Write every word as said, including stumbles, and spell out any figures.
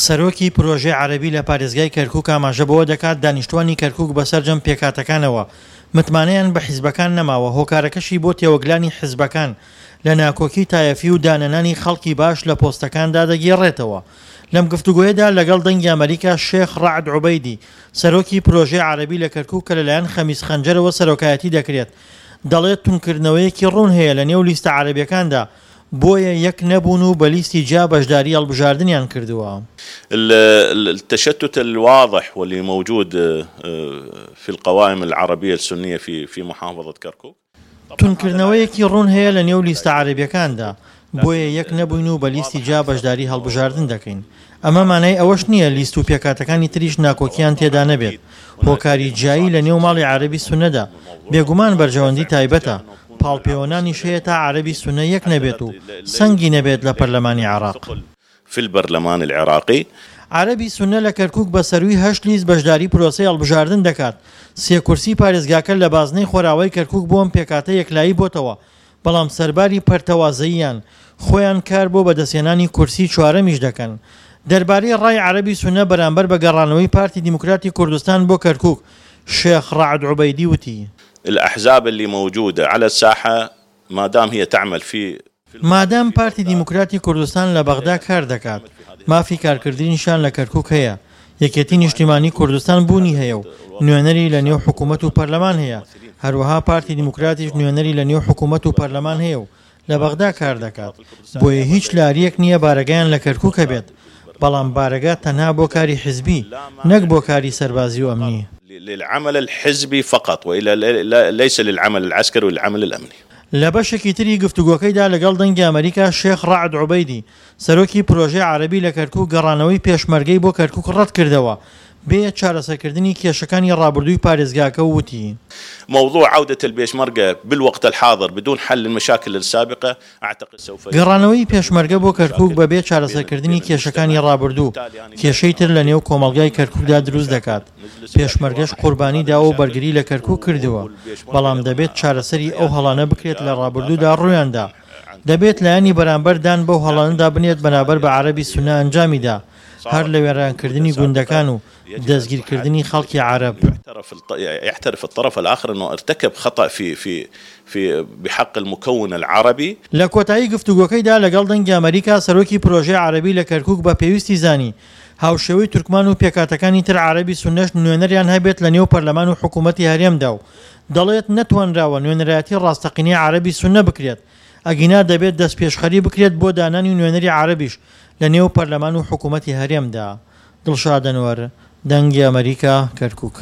سەرۆکی پرۆژەی عەرەبی لە پارێزگای کەرکوک ئاماژە بەوە دەکات، دانیشتوانی کەرکوک بە سەرجەم پێکهاتەکانەوە متمانەیان بە حیزبەکان نەماوە، هۆکارەکەشی بۆ تێوەگلانی حیزبەکان لە ناکۆکی تایەفی و دانەنانی خەڵکی باش لە پۆستەکاندا دەگێڕێتەوە. لەم گفتوگۆیەدا لەگەڵ دەنگی ئەمەریکا شێخ ڕەعد عوبەیدی سەرۆکی پرۆژەی عەرەبی لە کەرکوک کە لەلایەن خەمیس خەنجەرەوە سەرۆکایەتی دەکرێت دەڵێت تونکردنەوەیەکی ڕوون هەیە لە نێو لیستە عەرەبیەکاندا بۆیە یەک نەبوون و بە لیستی جیا بەشداری هەڵبژاردنیان کردووە. التشتت الواضح واللي موجود في القوائم العربية السنية في في محافظة كركوك. توندکردنەوەیەکی ڕوون هەیە لە نێو لیستە عەرەبیەکاندا، بۆیە یەک نەبووین و بە لیستی جیا بەشداری هەڵبژاردن دەکەین. ئەمە مانای ئەوەش نییە لیست و پێکهاتەکانی تریش ناکۆکییان تێدا نەبێت. هۆکاری جیایی لە نێو ماڵی عەرەبی سوننەدا بێگومان بەرژەوەندی تایبەتە، پاڵپێوەنانیش هەیە تا عەرەبی سوننە یەک نەبێت و سەنگی نەبێت لە پەرلەمانی عێراق. في البرلمان العراقی. عەرەبی سوننە لە کەرکوک بە سەرووی هەشت لیست بەشداری پرۆسەی هەڵبژاردن دەکات، سێ کورسی پارێزگاکە لە بازنەی خۆراوای کەرکوک بۆ ئەم پێکهاتە یەکلایی بۆتەوە، بەڵام سەرباری پەرتەوازەییان خۆیان کار بۆ بەدەستهێنانی کورسی چوارەمیش دەکەن. دەربارەی ڕای عەرەبی سوننە بەرامبەر بە گەڕانەوەی پارتی دیموکراتی کوردستان بۆ کەرکوک، شێخ ڕەعد عوبەیدی وتی. الأحزاب اللي موجودة على الساحة مادام هي تعمل في. مادام پارتی دیموکراتی کوردستان لە بەغدا کار دەکات، مافی کارکردنیشیان لە کەرکوک هەیە، یەکێتی نیشتیمانی کوردستان بوونی هەیە و نوێنەری لە نێو حکومەت و پەرلەمان هەیە، هەروەها پارتی دیموکراتیش نوێنەری لە نێو حکومەت و پەرلەمان هەیە و لە بەغدا کار دەکات، بۆیە هیچ لارییەک نییە بارەگایان لە کەرکوک هەبێت، بەڵام بارەگا تەنها بۆ کاری حزبی نەک بۆ کاری سەربازی و ئەمنی. للعمل الحزبی فقط وإلا ليس للعمل العسكري والعمل الأمنی. لە بەشێکی تری گفتوگۆکەیدا لەگەڵ دەنگی ئەمەریکا شێخ ڕەعد عوبەیدی سەرۆکی پرۆژەی عەرەبی لە کەرکوک گەڕانەوەی پێشمەرگەی بۆ کەرکوک ڕەتکردەوە بێ چارەسەرکردنی کێشەکانی ڕابردووی پارێزگاکە و وتی. موضوع عودة البێشمەرگە بالوقت الحاضر بدون حل المشاکل السابقە اعتقد سوف. گەڕانەوەی پێشمەرگە بۆ کەرکوک بەبێ چارەسەرکردنی کێشەکانی ڕابردوو کێشەی تر لە نێو کۆمەڵگای کەرکوکدا دروست دەکات، پێشمەرگەش قوربانی داوە و بەرگری لە کەرکوک کردووە، بەڵام دەبێت چارەسەری ئەو هەڵانە بکرێت لە ڕابردوودا ڕوویاندا، دەبێت لایەنی بەرامبەر دان بەو هەڵانەدا بنێت بەنابەر بە عەرەبی سوننە ئەنجامیدا، هەر لە وێرانکردنی گوندەکان و دەستگیرکردنی خەڵکی عەرەب. يعترف الطرف الآخر أنه ارتكب خطأ في في في بحق المكون العربي. لە کۆتایی گفتوگۆکەیدا لەگەڵ دەنگی ئەمەریکا سەرۆکی پرۆژەی عەرەبی لە کەرکوک بە پێویستی زانی هاوشێوەی تورکمان و پێکهاتەکانی تر عەرەبی سوننەش نوێنەریان هەبێت لە نێو پەرلەمان و حکوومەتی هەرێمدا و دەڵێت نەتوانراوە نوێنەرایەتی ڕاستەقینەی عەرەبی سوننە بکرێت ئەگینا دەبێت دەستپێشخەری بکرێت بۆ دانانی نوێنەری عەرەبیش لە نێو پەرلەمان و حکوومەتی هەرێمدا. دڵشاد ئەنوەر، دەنگی ئەمەریکا، کەرکوک.